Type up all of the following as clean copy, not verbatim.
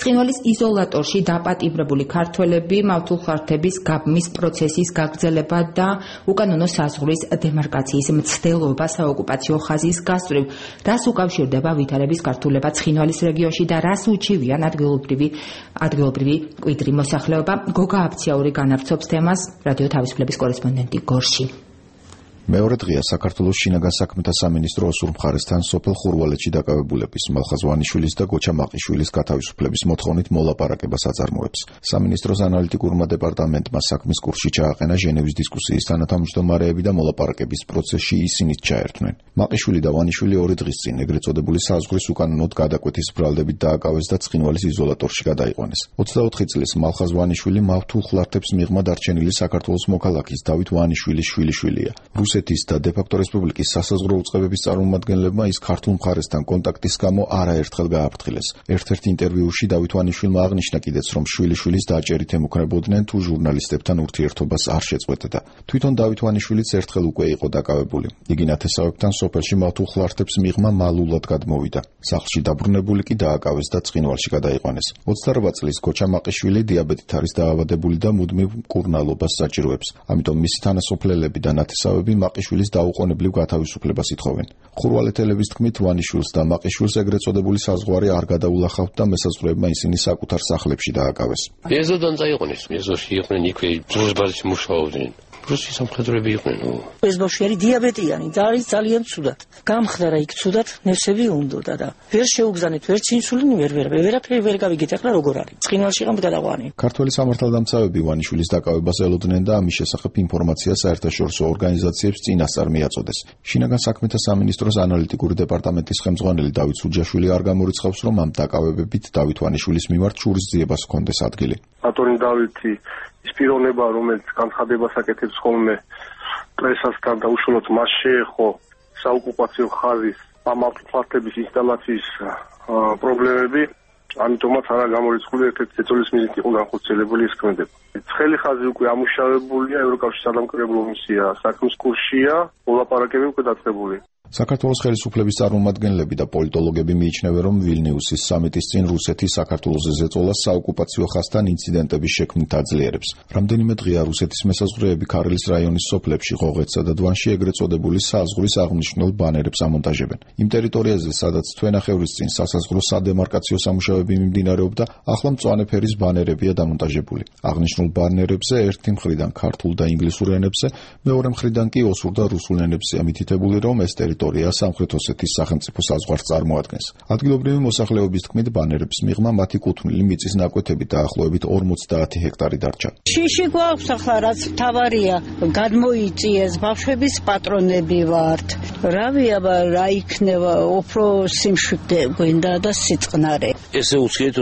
ცხინვალის იზოლატორში დაპატიმრებული ქართველები მავთულხარდების გაბმის პროცესის გაგრძელება და უკანონო საზღვრის დემარკაციის მცდელობა საოკუპაციო ხაზის გასწვრივ, რას უკავშირდება ვითარების გართულება ცხინვალის რეგიონში და რას უჩივიან ადგილობრივი მკვიდრი მოსახლეობა. გოგა აფციაური განავრცობს თემას რადიო თავისუფლების კორესპონდენტი გორში. მეორე დღეა საქართველოს შინაგან საქმეთა სამინისტრო ოსურ მხარესთან სოფელ ხურვალეთში დაკავებულების მალხაზ ვანიშვილის და გოჩა მაყიშვილის გათავისუფლების მოთხოვნით მოლაპარაკებას აწარმოებს. სამინისტროს ანალიტიკურმა დეპარტამენტმა საქმის კურსში ჩააყენა ჟენევის დისკუსიის თანათავმჯდომარეები და მოლაპარაკების პროცესში ისინიც ჩაერთვნენ. მაყიშვილი და ვანიშვილი 2 დღის წინ ეგრეთ წოდებული საზღვრის უკანონოდ გადაკვეთის ბრალდებით დააკავეს და ცხინვალის იზოლატორში გადაიყვანეს. 24 წლის მალხაზ ვანიშვილი მავთულხლართებს მიღმა დარჩენილი საქართველოს მოქალაქის დავით ვანიშვილის შვილიშვილია. რუსეთის და დე-ფაქტო რესპუბლიკის სასაზღვრო უწყებების წარმომადგენლებმა ის ქართულ მხარესთან კონტაქტის გამო არაერთხელ გააფრთხილეს. ერთ-ერთ ინტერვიუში დავით ვანიშვილმა აღნიშნა კიდეც, რომ შვილიშვილის დაჭერით ემუქრებოდნენ თუ ჟურნალისტებთან ურთიერთობას არ შეწყვეტდა. თვითონ დავით ვანიშვილიც ერთხელ უკვე იყო დაკავებული. იგი ნათესავებთან სოფელში მავთულხლართებს მიღმა მალულად გადმოვიდა. სახლში დაბრუნებული კი დააკავეს და ცხინვალში გადაიყვანეს. 28 წლის გოჩა მაყიშვილი დიაბეტით არის დაავადებული და მუდმივ მკურნალობას საჭიროებს. ამიტომ მისი თანასოფლელები და ნათესავები მაყიშვილის დაუყოვნებლივ გათავისუფლებას ითხოვენ. ხურვალეთელების თქმით, ვანიშვილს და მაყიშვილს ეგრეთ წოდებული საზღვარი არ გადაულახავთ და მესაზღვრეებმა ისინი საკუთარ სახლებში დააკავეს. ეზოდან წაიყვანეს, ეზოში იყვნენ იქვე დროშბაზში მუშაობდნენ. რუსი სამხედროები იყვნენ. ეს ბავშვი არის დიაბეტიანი და არის ძალიან ცუდად. გამხდარა იქ ცუდად, ნერსები უნდოდა და ვერ შეუგზავნეთ ვერც ინსულინი, ვერაფერი ვერ გავიგეთ ახლა როგორ არის. ცხინვალში ყამ გადაყვანი. ქართველი სამართალდამცავები ვანიშვილის დაკავებას ელოდნენ და ამის შესახებ ინფორმაცია საერთაშორისო ორგანიზაციებს წინასწარ მიაწოდეს. შინაგან საქმეთა სამინისტროს ანალიტიკური დეპარტამენტის ხელმძღვანელი დავით სუჯაშვილი არ გამორიცხავს, რომ ამ დაკავებებით დავით ვანიშვილის მიმართ შურისძიებას ჰქონდეს ადგილი. ბატონი დავითი ის პიროვნება, რომელიც განცხადებას აკეთებს ხოლმე პრესასთან და უშუალოდ მას შეეხო საოკუპაციო ხაზის მავთულხართების ინსტალაციის პრობლემები, ამიტომაც არა გამორიცხული ერთ-ერთი ეწოლის მიზნით იყო განხორციელებული ეს ქმედება. ცხელი ხაზი უკვე ამუშავებულია, ევროკავშირის სადამკვირვებლო მისია საქმის კურსშია, მოლაპარაკებები უკვე დაწყებული. საქართველოს ხელისუფლების წარმომადგენლები და პოლიტოლოგები მიიჩნევენ, რომ ვილნიუსის სამიტის წინ რუსეთი საქართველოს ზეწოლას საოკუპაციო ხაზთან ინციდენტების შექმნით აძლიერებს. რამდენიმე დღეა რუსეთის მესაზღვრეები ქარელის რაიონის სოფლებში, ღოღეთსა და დვანში ეგრეთ წოდებული საზღვრის აღნიშნულ ბანერებს ამონტაჟებენ. იმ ტერიტორიაზე, სადაც თვენახევრის წინ სასაზღვრო სადემარკაციო სამუშაოები მიმდინარეობდა, ახლა მწვანე ფერის ბანერებია დამონტაჟებული. აღნიშნულ ბანერებზე ერთი მხრიდან ქართულ და ინგლისურ ენებზე, მეორე მხრიდან კი ოსურ და რუსულ ენებზე ამითითებული, რომ ეს ტერიტორია სამხრეთ ოსეთის სახელმწიფო საზღვარს წარმოადგენს. ადგილობრივი მოსახლეობის თქმით, ბანერებს მიღმა მათი კუთვნილი მიწის ნაკვეთები დაახლოებით 50 ჰექტარი დარჩა. შიში გვაქვს ახლა, რაც თავარია, გადმოიწიეს, ბავშვების პატრონები ვართ. რავი, აბა რა იქნება, უფრო სიმშვიდე გვინდა და სიწყნარე. ესე უცხიეთ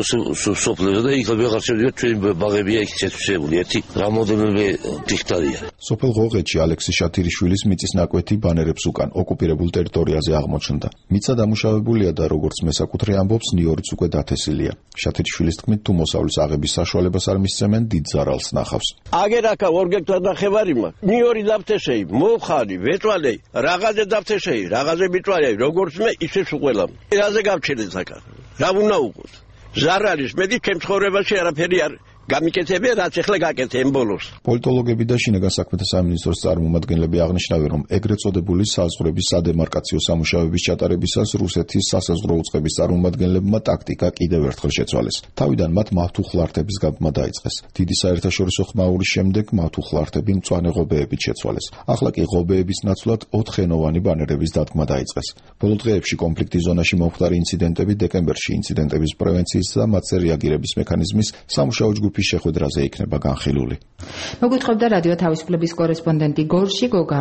სოფლებზე და იქ ვეღარ შევიდეთ, ჩვენი ბაღებია იქ შეწყვეტილი, ერთი რამოდენიმე ჰექტარია. სოფელ ღოღეთში ალექსი შათირიშვილის მიწის ნაკვეთი ბანერებს უკან ოკუპირებულ ტერიტორიაზე აღმოჩნდა. მიწა დამუშავებულია და როგორც მესაკუთრე ამბობს, ნიორიც უკვე დათესილია. შათირიშვილის თქმით, თუ მოსავლის აღების საშუალებას არ მისცემენ, დიდ ზარალს ნახავს. აგერაკა 2 ჰექტარ ნახევარი მაქვს. ნიორი დავთესეი, მოვხარი, ვეწვალე, რაღაცე დავთესეი, რაღაცე მიწვალე, როგორც მე, ისე უყველა. რაზე გავჩერე ზაკა? რა უნდა უყოთ? ზარალის მედი ჩემ ცხოვრებაში არაფერი არ გამიკეთებია, რაც ახლა გაკეთე ბოლოს. პოლიტოლოგები და შინაგან საქმეთა სამინისტროს წარმომადგენლები აღნიშნავენ, რომ ეგრეთ წოდებული საზღვრების სადემარკაციო სამუშაოების ჩატარებისას რუსეთის სასაზღვრო უწყების წარმომადგენლებმა ტაქტიკა კიდევ ერთხელ შეცვალეს. თავიდან მათ მავთულხლართების გაბმა დაიწყეს. დიდი საერთაშორისო ხმაურის შემდეგ მავთულხლართები მწვანე ღობეებით შეცვალეს. ახლა კი ღობეების ნაცვლად 4-ხენოვანი ბანერების დადგმა დაიწყეს. ბოლო დღეებში კონფლიქტის ზონაში მომხდარი ინციდენტები დეკემბერში ინციდენტების პრევენციის და მათზე რეაგირების მექანიზმის სამუშაო ჯგუფის შეხვედრაზე იქნება განხილული. მოგვითხრობდა რადიო თავისუფლების კორესპონდენტი გორში გოგა